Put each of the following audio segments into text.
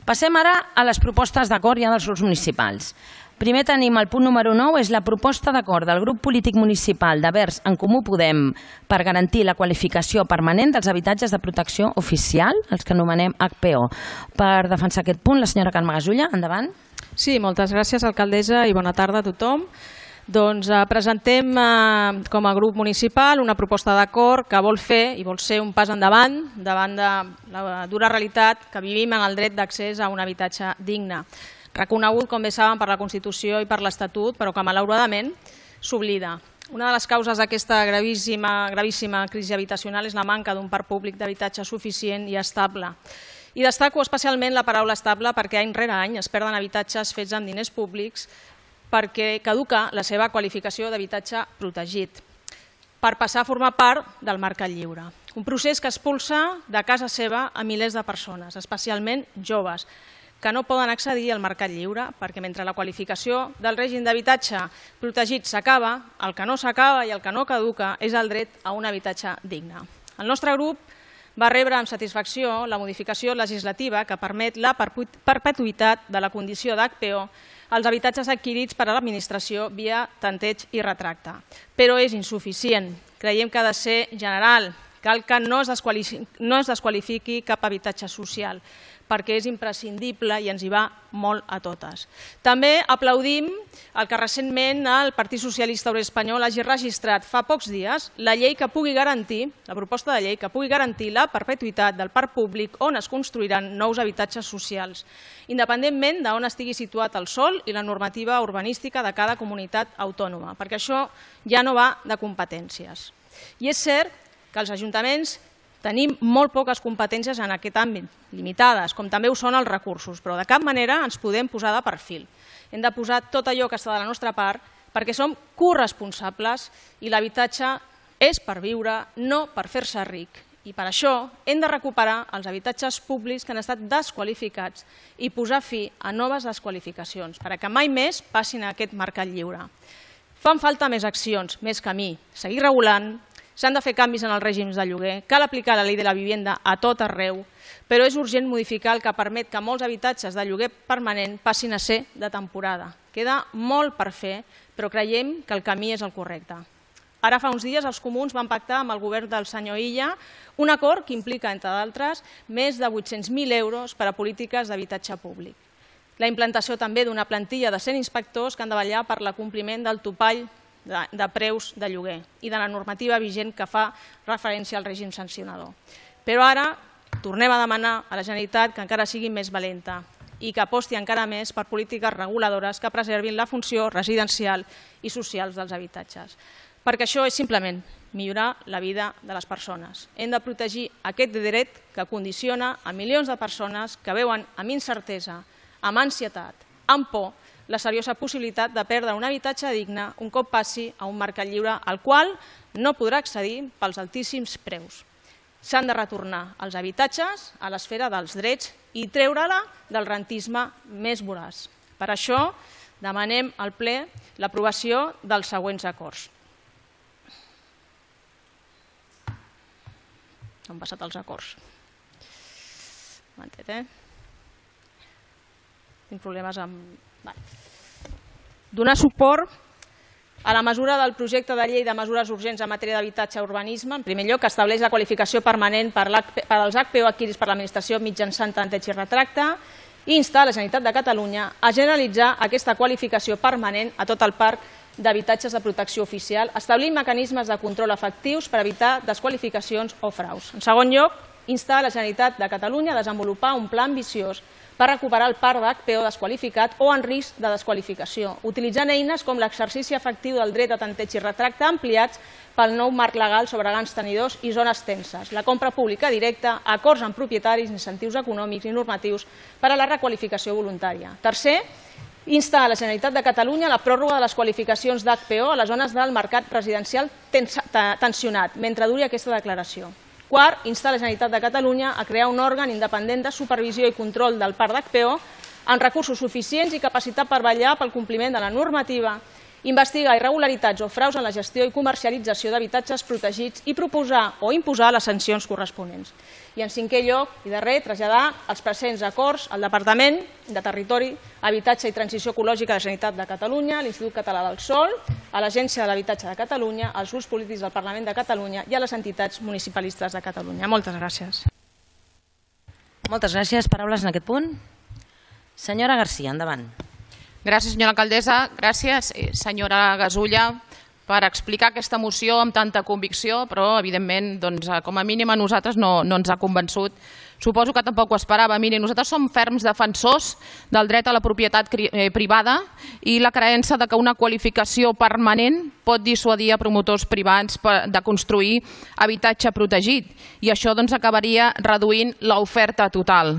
Passem ara a les propostes d'acord ja dels grups municipals. Primer tenim el punt número 9, és la proposta d'acord del grup polític municipal de Verds en Comú Podem per garantir la qualificació permanent dels habitatges de protecció oficial, els que anomenem HPO. Per defensar aquest punt, la senyora Carme Gasulla, endavant. Sí, moltes gràcies, alcaldessa, i bona tarda a tothom. Doncs presentem com a grup municipal una proposta d'acord que vol fer i vol ser un pas endavant davant de la dura realitat que vivim en el dret d'accés a un habitatge digne, reconegut, com bé saben, per la Constitució i per l'Estatut, però que malauradament s'oblida. Una de les causes d'aquesta gravíssima crisi habitacional és la manca d'un parc públic d'habitatge suficient i estable. I destaco especialment la paraula estable perquè any rere any es perden habitatges fets amb diners públics perquè caduca la seva qualificació d'habitatge protegit per passar a formar part del mercat lliure. Un procés que expulsa de casa seva a milers de persones, especialment joves, que no poden accedir al mercat lliure perquè mentre la qualificació del règim d'habitatge protegit s'acaba, el que no s'acaba i el que no caduca és el dret a un habitatge digne. El nostre grup va rebre amb satisfacció la modificació legislativa que permet la perpetuïtat de la condició d'HPO als habitatges adquirits per a l'administració via tanteig i retracte. Però és insuficient. Creiem que ha de ser general. Cal que no es desqualifiqui cap habitatge social, perquè és imprescindible i ens hi va molt a totes. També aplaudim el que recentment el Partit Socialista Obrer Espanyol hagi registrat fa pocs dies la proposta de llei que pugui garantir la perpetuïtat del parc públic on es construiran nous habitatges socials, independentment d'on estigui situat el sòl i la normativa urbanística de cada comunitat autònoma, perquè això ja no va de competències. I és cert que els ajuntaments tenim molt poques competències en aquest àmbit, limitades, com també ho són els recursos, però de cap manera ens podem posar de perfil. Hem de posar tot allò que està de la nostra part perquè som corresponsables i l'habitatge és per viure, no per fer-se ric. I per això hem de recuperar els habitatges públics que han estat desqualificats i posar fi a noves desqualificacions, perquè mai més passin a aquest mercat lliure. Fan falta més accions, més camí, seguir regulant. S'han de fer canvis en els règims de lloguer, cal aplicar la llei de la vivenda a tot arreu, però és urgent modificar el que permet que molts habitatges de lloguer permanent passin a ser de temporada. Queda molt per fer, però creiem que el camí és el correcte. Ara fa uns dies els comuns van pactar amb el govern del senyor Illa un acord que implica, entre d'altres, més de 800.000 euros per a polítiques d'habitatge públic. La implantació també d'una plantilla de 100 inspectors que han de vetllar per l'acompliment del topall de preus de lloguer i de la normativa vigent que fa referència al règim sancionador. Però ara tornem a demanar a la Generalitat que encara sigui més valenta i que aposti encara més per polítiques reguladores que preservin la funció residencial i social dels habitatges. Perquè això és simplement millorar la vida de les persones. Hem de protegir aquest dret que condiciona a milions de persones que veuen amb incertesa, amb ansietat, amb por, la seriosa possibilitat de perdre un habitatge digne un cop passi a un mercat lliure al qual no podrà accedir pels altíssims preus. S'han de retornar els habitatges a l'esfera dels drets i treure-la del rentisme més voraç. Per això demanem al ple l'aprovació dels següents acords. Han passat els acords. Tinc problemes amb... Donar suport a la mesura del projecte de llei de mesures urgents en matèria d'habitatge i urbanisme, en primer lloc, que estableix la qualificació permanent per als HPO adquirits per l'administració mitjançant tanteig i retracte, i instar la Generalitat de Catalunya a generalitzar aquesta qualificació permanent a tot el parc d'habitatges de protecció oficial, establint mecanismes de control efectius per evitar desqualificacions o fraus. En segon lloc, instar la Generalitat de Catalunya a desenvolupar un pla ambiciós per recuperar el parc d'HPO desqualificat o en risc de desqualificació, utilitzant eines com l'exercici efectiu del dret a tanteig i retracte ampliats pel nou marc legal sobre grans tenidors i zones tenses, la compra pública directa, acords amb propietaris, incentius econòmics i normatius per a la requalificació voluntària. Tercer, instar a la Generalitat de Catalunya la pròrroga de les qualificacions d'HPO a les zones del mercat residencial tensionat, mentre duri aquesta declaració. Quart, instar la Generalitat de Catalunya a crear un òrgan independent de supervisió i control del parc d'HPO amb recursos suficients i capacitat per vetllar pel compliment de la normativa investigar irregularitats o fraus en la gestió i comercialització d'habitatges protegits i proposar o imposar les sancions corresponents. I en cinquè lloc, i darrer, traslladar els presents acords al Departament de Territori, Habitatge i Transició Ecològica de la Generalitat de Catalunya, a l'Institut Català del Sòl, a l'Agència de l'Habitatge de Catalunya, als grups polítics del Parlament de Catalunya i a les entitats municipalistes de Catalunya. Moltes gràcies. Moltes gràcies. Paraules en aquest punt? Senyora Garcia, endavant. Gràcies, senyora alcaldessa. Gràcies, senyora Gasulla, per explicar aquesta moció amb tanta convicció, però, evidentment, com a mínim a nosaltres no ens ha convençut. Suposo que tampoc ho esperava. Miri, nosaltres som ferms defensors del dret a la propietat privada i la creença que una qualificació permanent pot dissuadir a promotors privats de construir habitatge protegit i això acabaria reduint l'oferta total.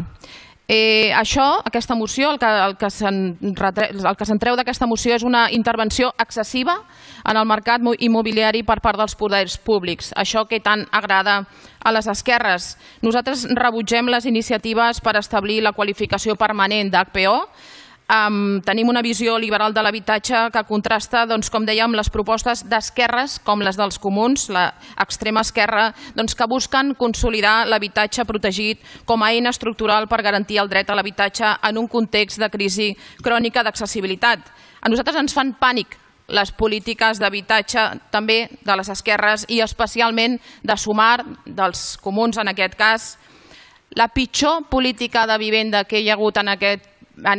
Aquesta moció, el que se'n treu d'aquesta moció és una intervenció excessiva en el mercat immobiliari per part dels poders públics, això que tant agrada a les esquerres. Nosaltres rebutgem les iniciatives per establir la qualificació permanent d'HPO. Tenim una visió liberal de l'habitatge que contrasta, com dèiem, les propostes d'esquerres com les dels comuns, l'extrema esquerra, que busquen consolidar l'habitatge protegit com a eina estructural per garantir el dret a l'habitatge en un context de crisi crònica d'accessibilitat. A nosaltres ens fan pànic les polítiques d'habitatge també de les esquerres i especialment de Sumar, dels comuns en aquest cas. La pitjor política de vivenda que hi ha hagut en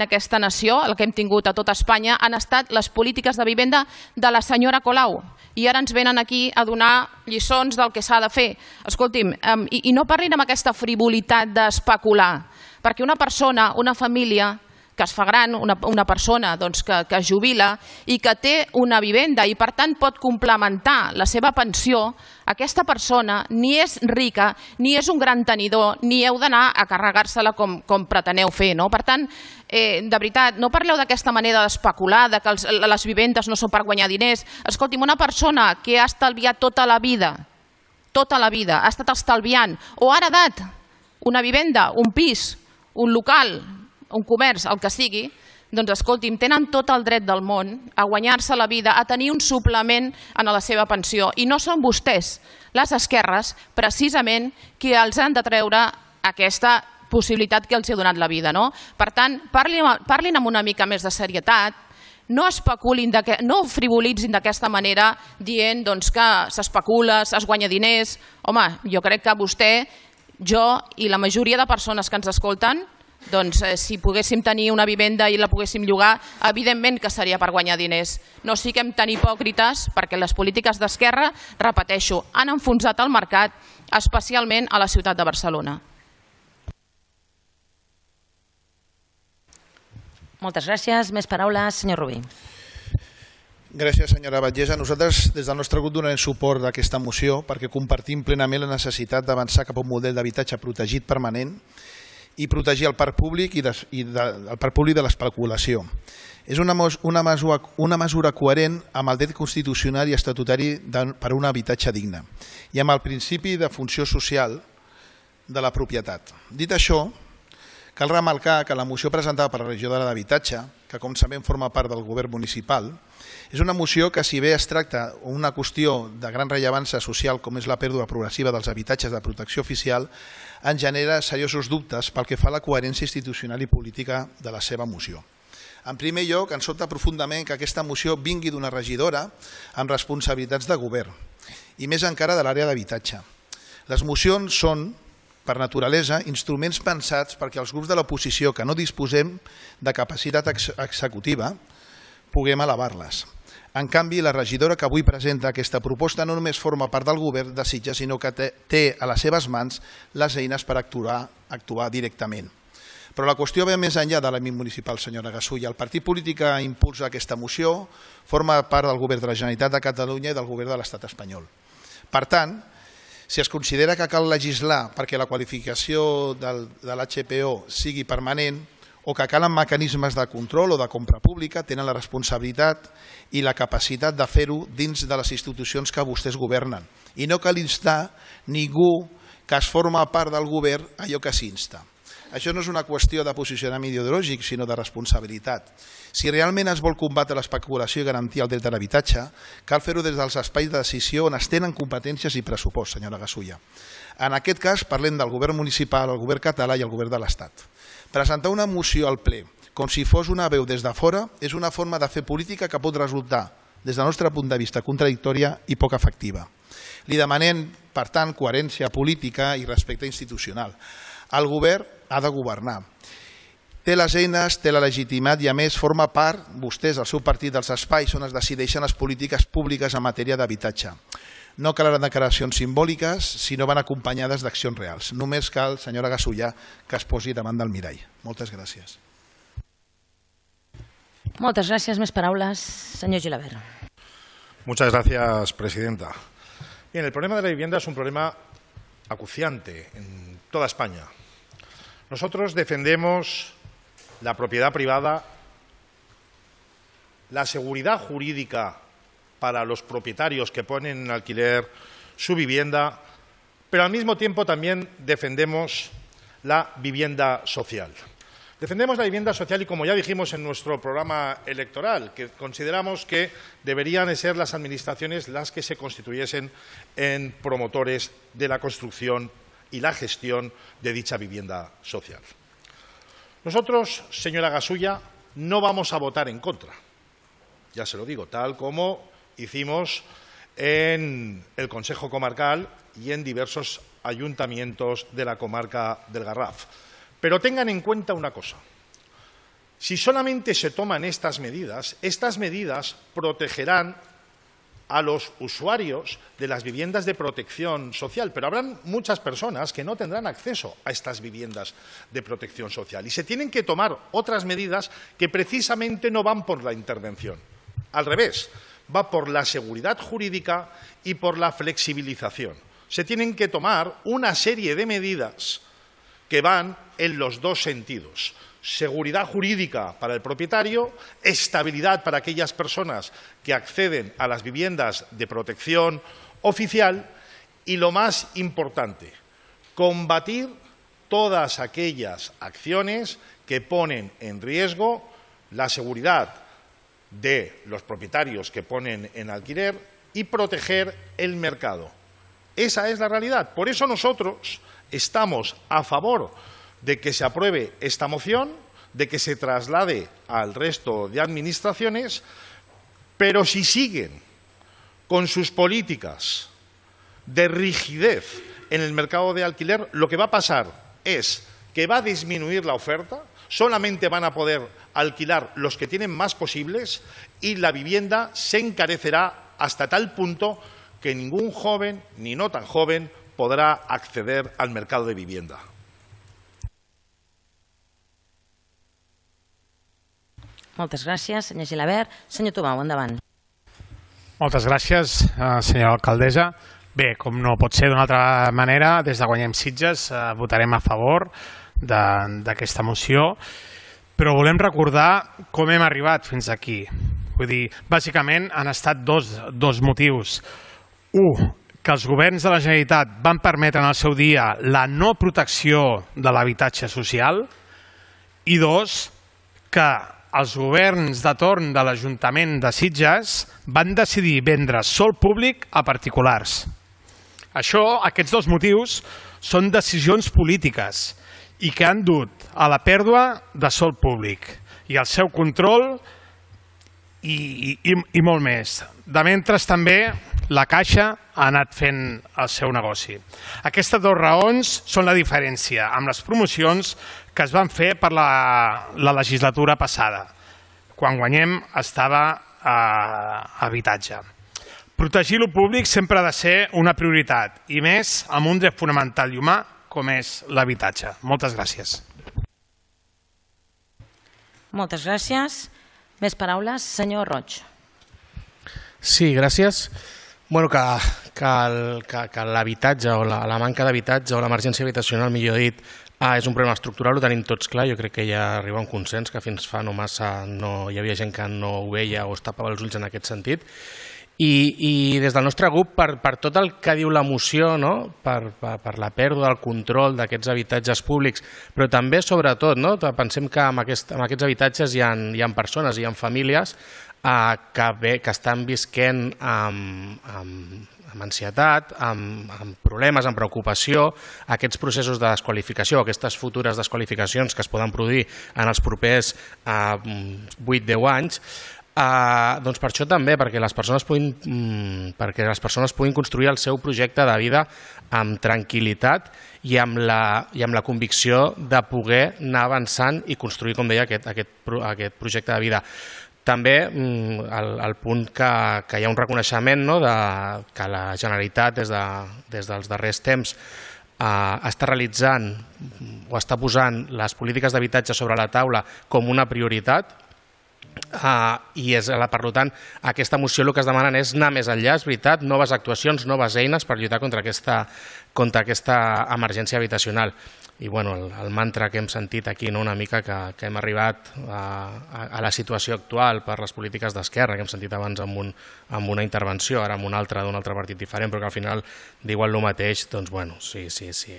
aquesta nació, el que hem tingut a tot Espanya, han estat les polítiques de vivenda de la senyora Colau. I ara ens venen aquí a donar lliçons del que s'ha de fer. Escolti'm, i no parlin amb aquesta frivolitat d'especular, perquè una persona, una família que es fa gran, una persona que es jubila i que té una vivenda i per tant pot complementar la seva pensió, aquesta persona ni és rica, ni és un gran tenidor, ni heu d'anar a carregar-se-la com preteneu fer. Per tant, de veritat, no parleu d'aquesta manera d'especular, que les vivendes no són per guanyar diners. Escolti'm, una persona que ha estalviat tota la vida, ha estat estalviant, o ha heredat una vivenda, un pis, un local, un comerç, el que sigui, doncs escolti'm, tenen tot el dret del món a guanyar-se la vida, a tenir un suplement en la seva pensió. I no són vostès, les esquerres, precisament, qui els han de treure aquesta possibilitat que els ha donat la vida. Per tant, parlin amb una mica més de serietat, no especulin, no frivolitzin d'aquesta manera dient que s'especula, es guanya diners. Home, jo crec que vostè, jo i la majoria de persones que ens escolten, si poguéssim tenir una vivenda i la poguéssim llogar, evidentment que seria per guanyar diners. No siguem tan hipòcrites perquè les polítiques d'esquerra, repeteixo, han enfonsat el mercat, especialment a la ciutat de Barcelona. Moltes gràcies. Més paraules, senyor Rubí. Gràcies, senyora Batllessa. Nosaltres, des del nostre grup, donarem suport a aquesta moció perquè compartim plenament la necessitat d'avançar cap a un model d'habitatge protegit permanent i protegir el parc públic i el parc públic de l'especulació. És una mesura coherent amb el dret constitucional i estatutari per a un habitatge digne i amb el principi de funció social de la propietat. Dit això, cal remarcar que la moció presentada per la regidora d'Habitatge, que com sabem forma part del govern municipal, és una moció que, si bé es tracta d'una qüestió de gran rellevància social com és la pèrdua progressiva dels habitatges de protecció oficial, en genera seriosos dubtes pel que fa a la coherència institucional i política de la seva moció. En primer lloc, ens sobta profundament que aquesta moció vingui d'una regidora amb responsabilitats de govern i més encara de l'àrea d'habitatge. Les mocions són, per naturalesa, instruments pensats perquè els grups de l'oposició que no disposem de capacitat executiva puguem elevar-les. En canvi, la regidora que avui presenta aquesta proposta no només forma part del govern de Sitges, sinó que té a les seves mans les eines per actuar directament. Però la qüestió ve més enllà de l'àmbit municipal, senyora Gasulla. El partit polític que impulsa aquesta moció forma part del govern de la Generalitat de Catalunya i del govern de l'Estat espanyol. Per tant, si es considera que cal legislar perquè la qualificació de l'HPO sigui permanent o que calen mecanismes de control o de compra pública, tenen la responsabilitat i la capacitat de fer-ho dins de les institucions que vostès governen. I no cal instar ningú que es forma part del govern allò que s'insta. Això no és una qüestió de posicionament ideològic, sinó de responsabilitat. Si realment es vol combatre l'especulació i garantir el dret a l'habitatge, cal fer-ho des dels espais de decisió on es tenen competències i pressupost, senyora Gasulla. En aquest cas parlem del govern municipal, el govern català i el govern de l'Estat. Presentar una moció al ple com si fos una veu des de fora és una forma de fer política que pot resultar, des del nostre punt de vista, contradictòria i poc efectiva. Li demanem, per tant, coherència política i respecte institucional. El govern ha de governar. Té les eines, té la legitimitat i, a més, forma part, vostès, el seu partit, dels espais on es decideixen les polítiques públiques en matèria d'habitatge. No calen declaracions simbòliques, sinó van acompanyades d'accions reals. Només cal, senyora Gasulla, que es posi davant del mirall. Moltes gràcies. Moltes gràcies. Més paraules. Senyor Gilabert. Muchas gracias, presidenta. Bien, el problema de la vivienda es un problema acuciante en toda España. Nosotros defendemos la propiedad privada, la seguridad jurídica para los propietarios que ponen en alquiler su vivienda, pero al mismo tiempo también defendemos la vivienda social. Defendemos la vivienda social y, como ya dijimos en nuestro programa electoral, que consideramos que deberían de ser las administraciones las que se constituyesen en promotores de la construcción y la gestión de dicha vivienda social. Nosotros, señora Gasulla, no vamos a votar en contra. Ya se lo digo, tal como hicimos en el Consejo Comarcal y en diversos ayuntamientos de la comarca del Garraf. Pero tengan en cuenta una cosa. Si solamente se toman estas medidas protegerán a los usuarios de las viviendas de protección social, pero habrán muchas personas que no tendrán acceso a estas viviendas de protección social y se tienen que tomar otras medidas que precisamente no van por la intervención. Al revés, va por la seguridad jurídica y por la flexibilización. Se tienen que tomar una serie de medidas que van en los dos sentidos. Seguridad jurídica para el propietario, estabilidad para aquellas personas que acceden a las viviendas de protección oficial y, lo más importante, combatir todas aquellas acciones que ponen en riesgo la seguridad de los propietarios que ponen en alquiler y proteger el mercado. Esa es la realidad. Por eso nosotros estamos a favor de que se apruebe esta moción, de que se traslade al resto de administraciones, pero si siguen con sus políticas de rigidez en el mercado de alquiler, lo que va a pasar es que va a disminuir la oferta, solamente van a poder alquilar los que tienen más posibles y la vivienda se encarecerá hasta tal punto que ningún joven, ni no tan joven, podrà acceder al mercat de vivienda. Moltes gràcies, senyor Gilabert. Senyor Tomau, endavant. Moltes gràcies, senyora alcaldessa. Bé, com no pot ser d'una altra manera, des de Guanyem Sitges votarem a favor d'aquesta moció, però volem recordar com hem arribat fins aquí. Vull dir, bàsicament han estat dos motius. Un, que els governs de la Generalitat van permetre en el seu dia la no protecció de l'habitatge social i dos, que els governs de torn de l'Ajuntament de Sitges van decidir vendre sòl públic a particulars. Aquests dos motius són decisions polítiques i que han dut a la pèrdua de sòl públic i al seu control i molt més. De mentre també la Caixa ha anat fent el seu negoci. Aquestes dues raons són la diferència amb les promocions que es van fer per la legislatura passada, quan Guanyem estava a habitatge. Protegir el públic sempre ha de ser una prioritat, i més amb un dret fonamental i humà com és l'habitatge. Moltes gràcies. Moltes gràcies. Més paraules? Senyor Roig. Sí, gràcies. Bueno, que l'habitatge o la manca d'habitatge o l'emergència habitacional, millor dit, és un problema estructural, ho tenim tots clar. Jo crec que ja arriba un consens que fins fa no massa no hi havia gent que no ho veia o es tapava els ulls en aquest sentit. I des del nostre grup, per tot el que diu la moció, per la pèrdua del control d'aquests habitatges públics, però també, sobretot, pensem que en aquests habitatges hi ha persones, hi ha famílies que estan visquent amb ansietat, amb problemes, amb preocupació, aquests processos de desqualificació, aquestes futures desqualificacions que es poden produir en els propers 8-10 anys, doncs per això també, perquè les persones puguin construir el seu projecte de vida amb tranquil·litat i amb la convicció de poder anar avançant i construir, com deia, aquest projecte de vida. També el punt que hi ha un reconeixement que la Generalitat des dels darrers temps està realitzant o està posant les polítiques d'habitatge sobre la taula com una prioritat, i per tant aquesta moció el que es demanen és anar més enllà, és veritat, noves actuacions, noves eines per lluitar contra aquesta emergència habitacional. I el mantra que hem sentit aquí una mica que hem arribat a la situació actual per les polítiques d'esquerra, que hem sentit abans amb una intervenció, ara amb una altra d'un altre partit diferent, però que al final diuen el mateix, doncs sí.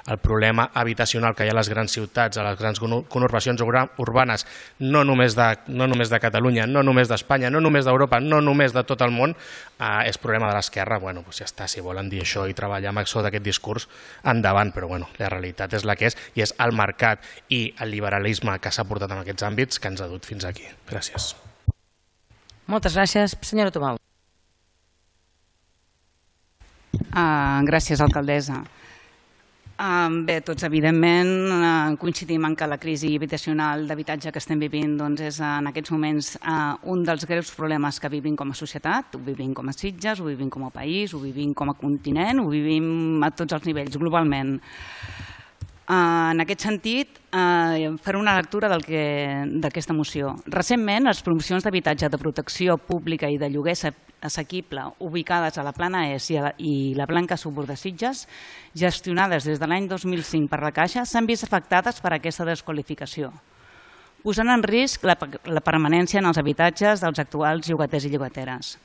El problema habitacional que hi ha a les grans ciutats, a les grans conurbacions urbanes, no només de Catalunya, no només d'Espanya, no només d'Europa, no només de tot el món, és problema de l'esquerra. Ja està, si volen dir això i treballar amb això d'aquest discurs, endavant, però la realitat és la que és, i és el mercat i el liberalisme que s'ha portat en aquests àmbits que ens ha dut fins aquí. Gràcies. Moltes gràcies. Senyora Tubau. Gràcies, alcaldessa. Bé, tots evidentment coincidim en que la crisi habitacional d'habitatge que estem vivint és en aquests moments un dels greus problemes que vivim com a societat, ho vivim com a Sitges, ho vivim com a país, ho vivim com a continent, ho vivim a tots els nivells, globalment. En aquest sentit, faré una lectura d'aquesta moció. Recentment, les promocions d'habitatge de protecció pública i de lloguer assequible ubicades a la Plana Est i la Blanca Subur de Sitges, gestionades des de l'any 2005 per la Caixa, s'han vist afectades per aquesta desqualificació, posant en risc la permanència en els habitatges dels actuals llogaters i llogateres.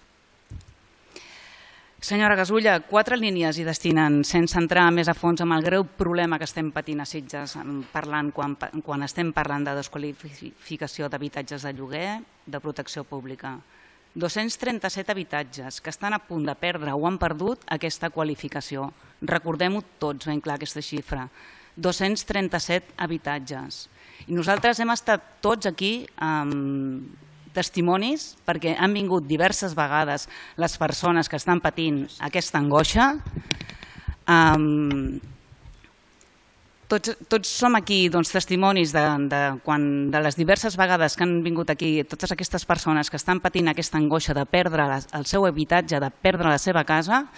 Senyora Gasulla, 4 línies hi destinen, sense entrar més a fons en el greu problema que estem patint a Sitges, quan estem parlant de desqualificació d'habitatges de lloguer de protecció pública. 237 habitatges que estan a punt de perdre o han perdut aquesta qualificació. Recordem-ho tots ben clar, aquesta xifra. 237 habitatges. I nosaltres hem estat tots aquí testimonis, perquè han vingut diverses vegades les persones que estan patint aquesta angoixa. Tots som aquí testimonis de les diverses vegades que han vingut aquí totes aquestes persones que estan patint aquesta angoixa de perdre el seu habitatge, de perdre la seva casa,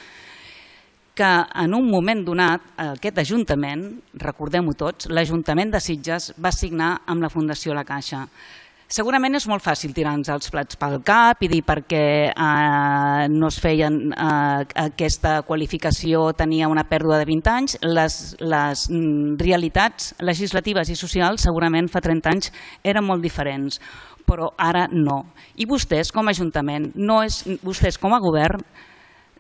que en un moment donat aquest Ajuntament, recordem-ho tots, l'Ajuntament de Sitges va signar amb la Fundació La Caixa. Segurament és molt fàcil tirar-nos els plats pel cap i dir perquè no es feien aquesta qualificació, tenia una pèrdua de 20 anys. Les realitats legislatives i socials segurament fa 30 anys eren molt diferents, però ara no. I vostès com a Ajuntament, vostès com a govern,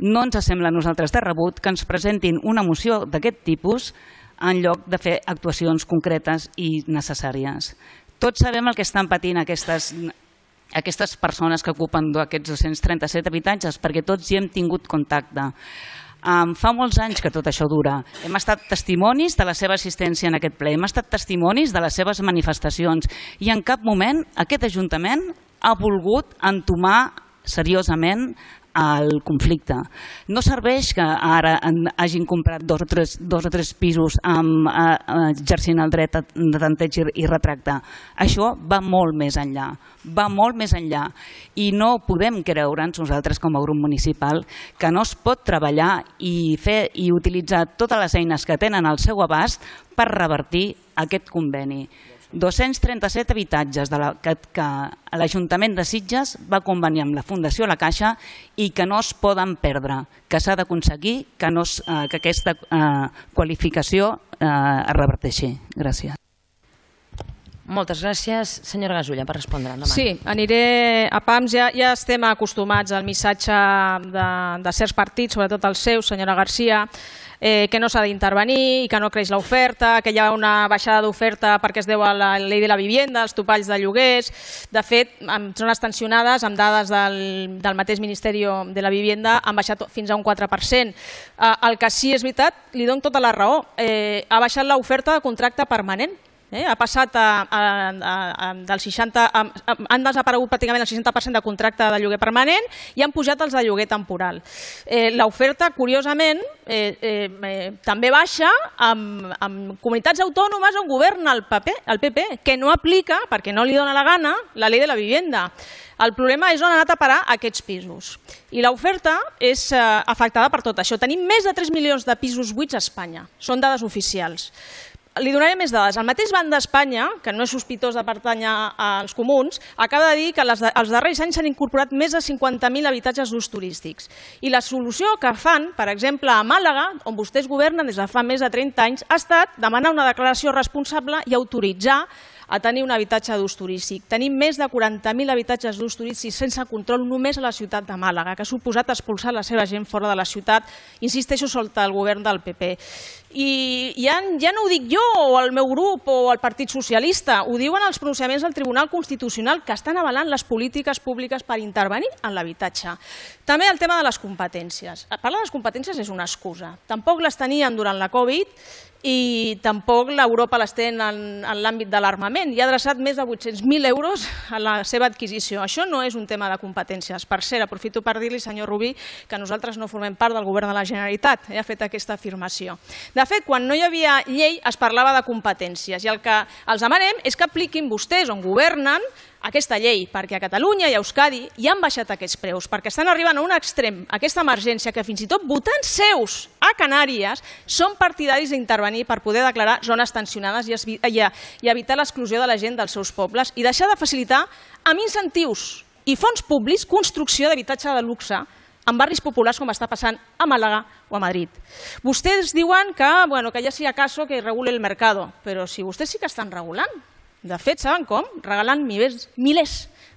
no ens sembla a nosaltres de rebut que ens presentin una moció d'aquest tipus en lloc de fer actuacions concretes i necessàries. Tots sabem el que estan patint aquestes persones que ocupen aquests 237 habitatges, perquè tots hi hem tingut contacte. Fa molts anys que tot això dura. Hem estat testimonis de la seva assistència en aquest ple, hem estat testimonis de les seves manifestacions i en cap moment aquest Ajuntament ha volgut entomar seriosament el conflicte. No serveix que ara hagin comprat dos o tres pisos exercint el dret de tanteig i retracte. Això va molt més enllà, i no podem creure'ns nosaltres com a grup municipal que no es pot treballar i fer i utilitzar totes les eines que tenen al seu abast per revertir aquest conveni. 237 habitatges que l'Ajuntament de Sitges va convenir amb la Fundació La Caixa i que no es poden perdre, que s'ha d'aconseguir que aquesta qualificació es reverteixi. Gràcies. Moltes gràcies. Senyora Gasulla, per respondre. Endavant. Sí, aniré a pams. Ja estem acostumats al missatge de certs partits, sobretot el seu, senyora Garcia, que no s'ha d'intervenir i que no creix l'oferta, que hi ha una baixada d'oferta perquè es deu a la llei de la vivienda, als topalls de lloguers. De fet, en zones tensionades, amb dades del mateix Ministeri de la Vivienda, han baixat fins a un 4%. El que sí és veritat, li dono tota la raó, ha baixat l'oferta de contracte permanent. Ha passat del 60%, han desaparegut pràcticament el 60% de contracte de lloguer permanent i han pujat els de lloguer temporal. L'oferta, curiosament, també baixa amb comunitats autònomes on governa el PP, que no aplica, perquè no li dona la gana, la llei de la vivienda. El problema és on han anat a parar aquests pisos. I l'oferta és afectada per tot això. Tenim més de 3 milions de pisos buits a Espanya. Són dades oficials. Li donaré més dades. El mateix Banc d'Espanya, que no és sospitós de pertànyer als comuns, acaba de dir que els darrers anys s'han incorporat més de 50.000 habitatges d'ús turístics. I la solució que fan, per exemple, a Màlaga, on vostès governen des de fa més de 30 anys, ha estat demanar una declaració responsable i autoritzar a tenir un habitatge d'ús turístic. Tenim més de 40.000 habitatges d'ús turístic sense control només a la ciutat de Màlaga, que ha suposat expulsar la seva gent fora de la ciutat, insisteixo, sota el govern del PP. I ja no ho dic jo o el meu grup o el Partit Socialista, ho diuen els pronunciaments del Tribunal Constitucional que estan avalant les polítiques públiques per intervenir en l'habitatge. També el tema de les competències. Parlar de les competències és una excusa. Tampoc les tenien durant la Covid i tampoc l'Europa les té en l'àmbit de l'armament. I ha adreçat més de 800.000 euros a la seva adquisició. Això no és un tema de competències. Per cert, aprofito per dir-li, senyor Rubí, que nosaltres no formem part del govern de la Generalitat. Ha fet aquesta afirmació. De fet, quan no hi havia llei es parlava de competències i el que els demanem és que apliquin vostès on governen aquesta llei, perquè a Catalunya i a Euskadi ja han baixat aquests preus, perquè estan arribant a un extrem, aquesta emergència, que fins i tot votants seus a Canàries són partidaris d'intervenir per poder declarar zones tensionades i evitar l'exclusió de la gent dels seus pobles i deixar de facilitar amb incentius i fons públics construcció d'habitatge de luxe en barris populars com està passant a Màlaga o a Madrid. Vostès diuen que ja si acaso que regule el mercado, però si vostès sí que estan regulant. De fet, saben com? Regalant milers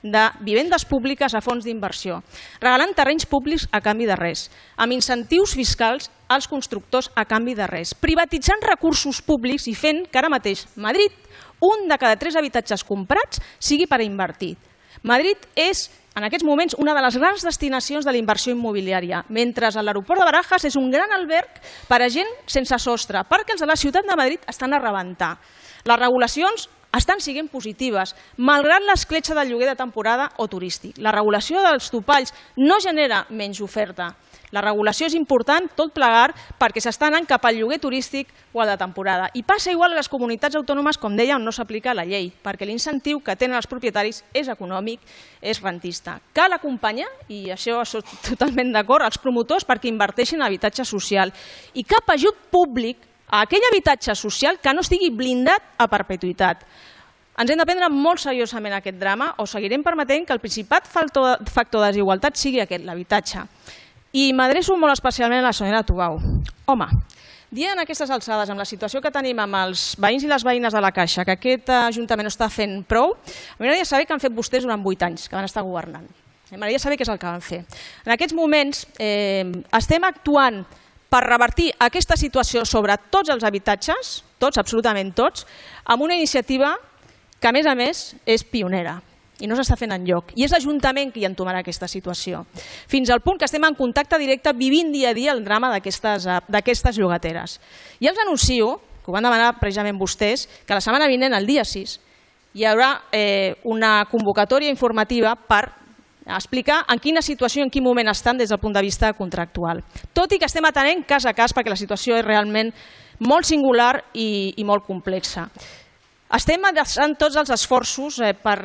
de vivendes públiques a fons d'inversió, regalant terrenys públics a canvi de res, amb incentius fiscals als constructors a canvi de res, privatitzant recursos públics i fent que ara mateix Madrid, 1 de cada 3 habitatges comprats sigui per invertir. Madrid és, en aquests moments, una de les grans destinacions de la inversió immobiliària, mentre l'aeroport de Barajas és un gran alberg per a gent sense sostre, perquè els de la ciutat de Madrid estan a rebentar. Les regulacions estan sent positives, malgrat l'escletxa del lloguer de temporada o turístic. La regulació dels topalls no genera menys oferta. La regulació és important, tot plegat, perquè s'està anant cap al lloguer turístic o al de temporada. I passa igual a les comunitats autònomes, com deia, on no s'aplica la llei, perquè l'incentiu que tenen els propietaris és econòmic, és rentista. Cal acompanyar, i això soc totalment d'acord, els promotors perquè inverteixin en habitatge social. I cap ajut públic a aquell habitatge social que no estigui blindat a perpetuïtat. Ens hem de prendre molt seriosament aquest drama o seguirem permetent que el principal factor de desigualtat sigui aquest, l'habitatge. I m'adreço molt especialment a la senyora Tubau. Home, dient en aquestes alçades, amb la situació que tenim amb els veïns i les veïnes de la Caixa, que aquest Ajuntament no està fent prou, m'agradaria saber què han fet vostès durant 8 anys que van estar governant. M'agradaria saber què és el que van fer. En aquests moments estem actuant per revertir aquesta situació sobre tots els habitatges, tots, absolutament tots, amb una iniciativa que, a més, és pionera i no s'està fent enlloc. I és l'Ajuntament qui entomarà aquesta situació. Fins al punt que estem en contacte directe, vivint dia a dia el drama d'aquestes llogateres. I els anuncio, que ho van demanar precisament vostès, que la setmana vinent, el dia 6, hi haurà una convocatòria informativa per explicar en quina situació i en quin moment estan des del punt de vista contractual. Tot i que estem atenent cas a cas perquè la situació és realment molt singular i molt complexa. Estem adreçant tots els esforços per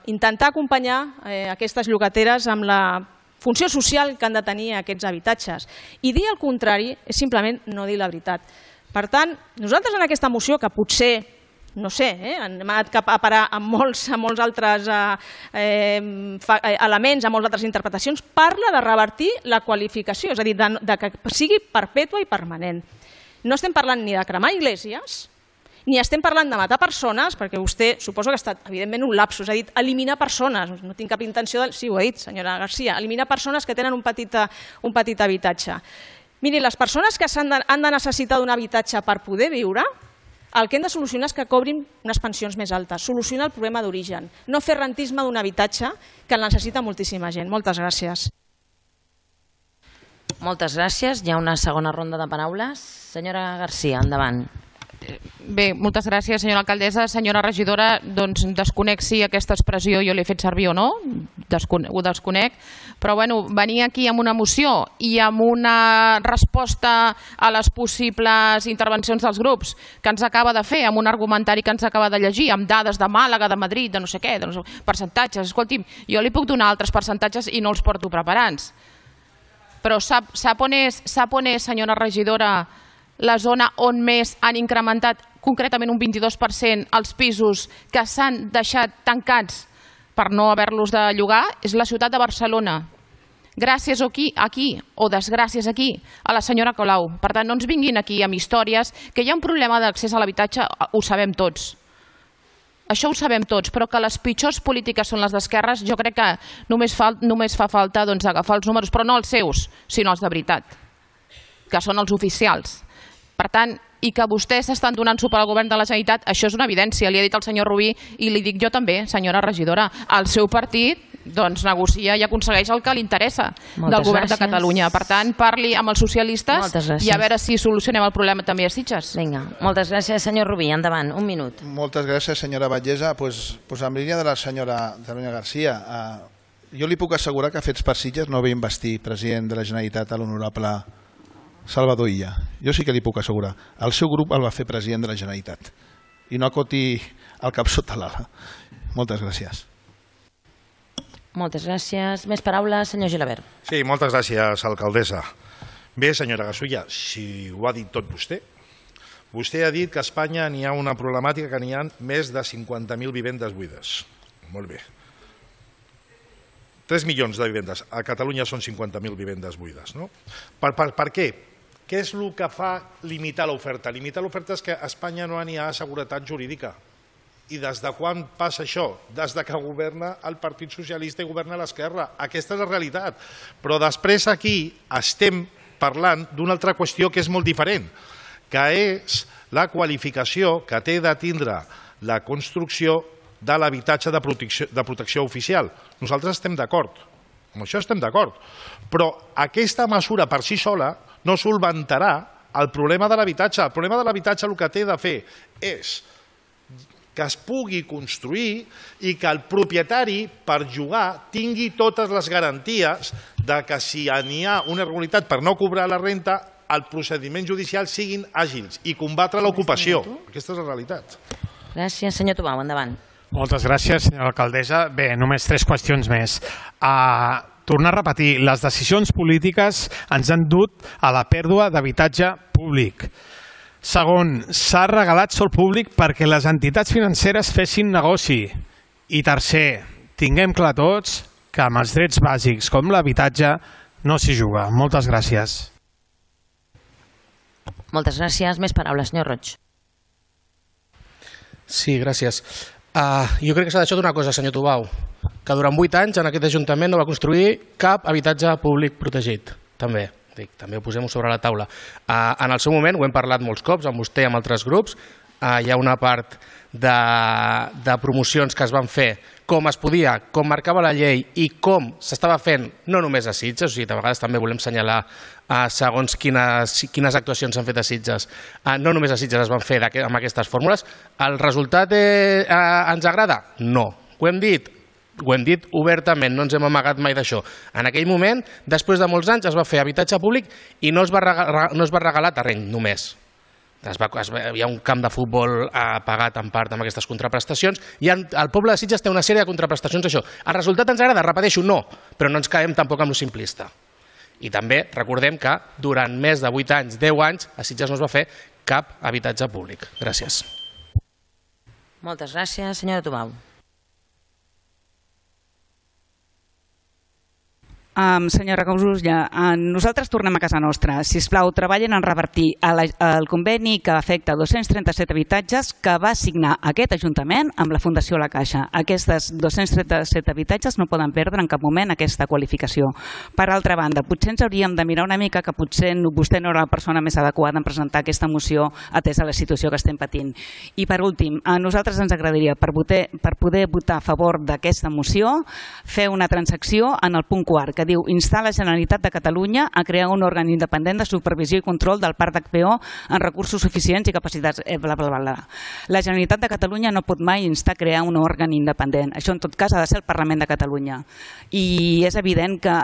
intentar acompanyar aquestes llogateres amb la funció social que han de tenir aquests habitatges. I dir el contrari és simplement no dir la veritat. Per tant, nosaltres en aquesta moció, que potser, no sé, hem anat a parar a molts altres elements, a moltes altres interpretacions, parla de revertir la qualificació, és a dir, que sigui perpètua i permanent. No estem parlant ni de cremar iglesias, ni estem parlant de matar persones, perquè vostè suposo que ha estat, evidentment, un lapsus, ha dit eliminar persones, no tinc cap intenció de... Sí, ho ha dit, senyora Garcia, eliminar persones que tenen un petit habitatge. Miri, les persones que han de necessitar d'un habitatge per poder viure, el que hem de solucionar és que cobrin unes pensions més altes, solucionar el problema d'origen, no fer rentisme d'un habitatge que el necessita moltíssima gent. Moltes gràcies. Moltes gràcies. Hi ha una segona ronda de paraules. Senyora Garcia, endavant. Bé, moltes gràcies, senyora alcaldessa. Senyora regidora, doncs desconec si aquesta expressió jo l'he fet servir o no, ho desconec, però bueno, venir aquí amb una moció i amb una resposta a les possibles intervencions dels grups que ens acaba de fer, amb un argumentari que ens acaba de llegir, amb dades de Màlaga, de Madrid, de no sé què, de percentatges, escolti'm, jo li puc donar altres percentatges i no els porto preparats. Però sap on és, senyora regidora, la zona on més han incrementat concretament un 22% els pisos que s'han deixat tancats per no haver-los de llogar? És la ciutat de Barcelona. Gràcies aquí, o desgràcies aquí, a la senyora Colau. Per tant, no ens vinguin aquí amb històries, que hi ha un problema d'accés a l'habitatge, ho sabem tots. Això ho sabem tots, però que les pitjors polítiques són les d'esquerres, jo crec que només fa falta agafar els números, però no els seus, sinó els de veritat, que són els oficials. Per tant, i que vostès estan donant suport al govern de la Generalitat, això és una evidència, li ha dit el senyor Rubí i li dic jo també, senyora regidora, el seu partit doncs negocia i aconsegueix el que li interessa del govern de Catalunya. Per tant, parli amb els socialistes i a veure si solucionem el problema també a Sitges. Vinga, moltes gràcies, senyor Rubí. Endavant, un minut. Moltes gràcies, senyora Batllessa. En línia de la senyora Garcia, jo li puc assegurar que Fets per Sitges no ve investir president de la Generalitat a l'honorable Salvador Illa. Jo sí que li puc assegurar. El seu grup el va fer president de la Generalitat. I no acoti el cap sota l'ala. Moltes gràcies. Moltes gràcies. Més paraules, senyor Gilabert. Sí, moltes gràcies, alcaldessa. Bé, senyora Gasulla, si ho ha dit tot vostè. Vostè ha dit que a Espanya n'hi ha una problemàtica que n'hi ha més de 50.000 vivendes buides. Molt bé. 3 milions de vivendes. A Catalunya són 50.000 vivendes buides. No? Per què? Què és el que fa limitar l'oferta? Limitar l'oferta és que a Espanya no n'hi ha seguretat jurídica. I des de quan passa això? Des de que governa el Partit Socialista i governa l'esquerra. Aquesta és la realitat. Però després aquí estem parlant d'una altra qüestió que és molt diferent, que és la qualificació que té de tindre la construcció de l'habitatge de protecció oficial. Nosaltres estem d'acord, amb això estem d'acord, però aquesta mesura per si sola no solventarà el problema de l'habitatge. El problema de l'habitatge el que té de fer és que es pugui construir i que el propietari per jugar tingui totes les garanties de que si n'hi ha una irregularitat per no cobrar la renta, els procediments judicials siguin àgils i combatre l'ocupació. Aquesta és la realitat. Gràcies, senyor Tubau, endavant. Moltes gràcies, senyora alcaldessa. Bé, només 3 qüestions més. Tornar a repetir, les decisions polítiques ens han dut a la pèrdua d'habitatge públic. Segon, s'ha regalat sòl públic perquè les entitats financeres fessin negoci. I tercer, tinguem clar tots que amb els drets bàsics com l'habitatge no s'hi juga. Moltes gràcies. Moltes gràcies. Més paraules, senyor Roig. Sí, gràcies. Jo crec que s'ha deixat una cosa, senyor Tubau, que durant 8 anys en aquest Ajuntament no va construir cap habitatge públic protegit. També ho posem sobre la taula. En el seu moment, ho hem parlat molts cops, amb vostè i amb altres grups, hi ha una part de promocions que es van fer com es podia, com marcava la llei i com s'estava fent, no només a Sitges, o sigui, de vegades també volem assenyalar segons quines actuacions s'han fet a Sitges. No només a Sitges es van fer amb aquestes fórmules. El resultat ens agrada? No. Ho hem dit obertament, no ens hem amagat mai d'això. En aquell moment, després de molts anys, es va fer habitatge públic i no es va regalar terreny només. Hi ha un camp de futbol pagat en part amb aquestes contraprestacions i el poble de Sitges té una sèrie de contraprestacions d'això. El resultat ens agrada? Repeteixo, no, però no ens caiem tampoc amb lo simplista. I també recordem que durant més de 8 anys, 10 anys, a Sitges no es va fer cap habitatge públic. Gràcies. Moltes gràcies, senyora Tubau. Senyora Gasulla, nosaltres tornem a casa nostra. Sisplau, treballen en revertir el conveni que afecta 237 habitatges que va signar aquest Ajuntament amb la Fundació La Caixa. Aquests 237 habitatges no poden perdre en cap moment aquesta qualificació. Per altra banda, potser ens hauríem de mirar una mica que potser vostè no era la persona més adequada en presentar aquesta moció atesa la situació que estem patint. I per últim, a nosaltres ens agradaria, per poder votar a favor d'aquesta moció, fer una transacció en el punt quart, que diu instar la Generalitat de Catalunya a crear un òrgan independent de supervisió i control del parc d'HPO en recursos suficients i capacitats, bla, bla, bla. La Generalitat de Catalunya no pot mai instar a crear un òrgan independent. Això, en tot cas, ha de ser el Parlament de Catalunya. I és evident que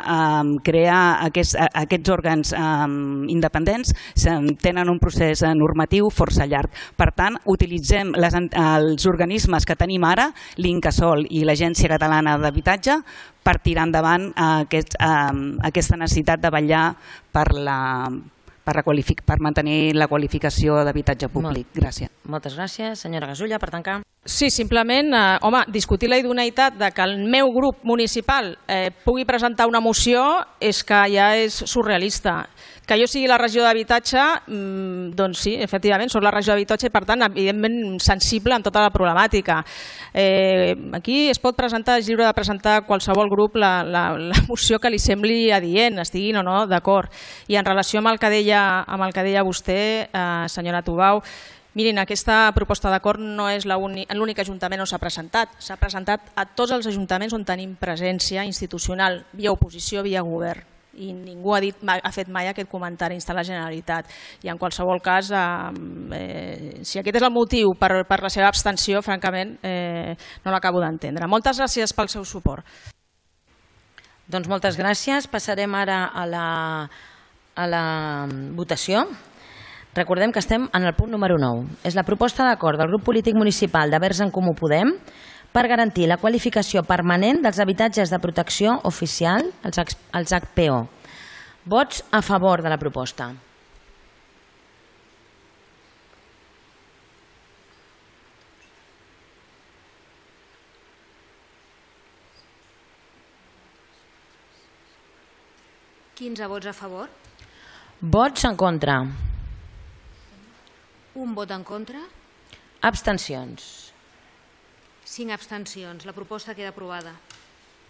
crear aquests òrgans independents tenen un procés normatiu força llarg. Per tant, utilitzem els organismes que tenim ara, l'Incasòl i l'Agència Catalana d'Habitatge, per tirar endavant aquesta necessitat de vetllar per mantenir la qualificació d'habitatge públic. Gràcies. Moltes gràcies. Senyora Gasulla, per tancar. Sí, simplement, discutir la idoneïtat de que el meu grup municipal pugui presentar una moció és que ja és surrealista. Que jo sigui la regió d'habitatge, doncs sí, efectivament, soc la regió d'habitatge i per tant, evidentment, sensible en tota la problemàtica. Aquí es pot presentar, és lliure de presentar qualsevol grup la moció que li sembli adient, estiguin o no d'acord. I en relació amb el que deia vostè, senyora Tubau, mirin, aquesta proposta d'acord no és l'únic ajuntament on s'ha presentat. S'ha presentat a tots els ajuntaments on tenim presència institucional, via oposició, via govern. I ningú ha fet mai aquest comentari instar la Generalitat. I en qualsevol cas, si aquest és el motiu per la seva abstenció, francament, no l'acabo d'entendre. Moltes gràcies pel seu suport. Doncs moltes gràcies. Passarem ara a la votació. Recordem que estem en el punt número 9. És la proposta d'acord del grup polític municipal de Verds en Comú Podem per garantir la qualificació permanent dels habitatges de protecció oficial, els HPO. Vots a favor de la proposta. ¿15 vots a favor? Vots en contra. Un vot en contra? Abstencions. 5 abstencions. La proposta queda aprovada.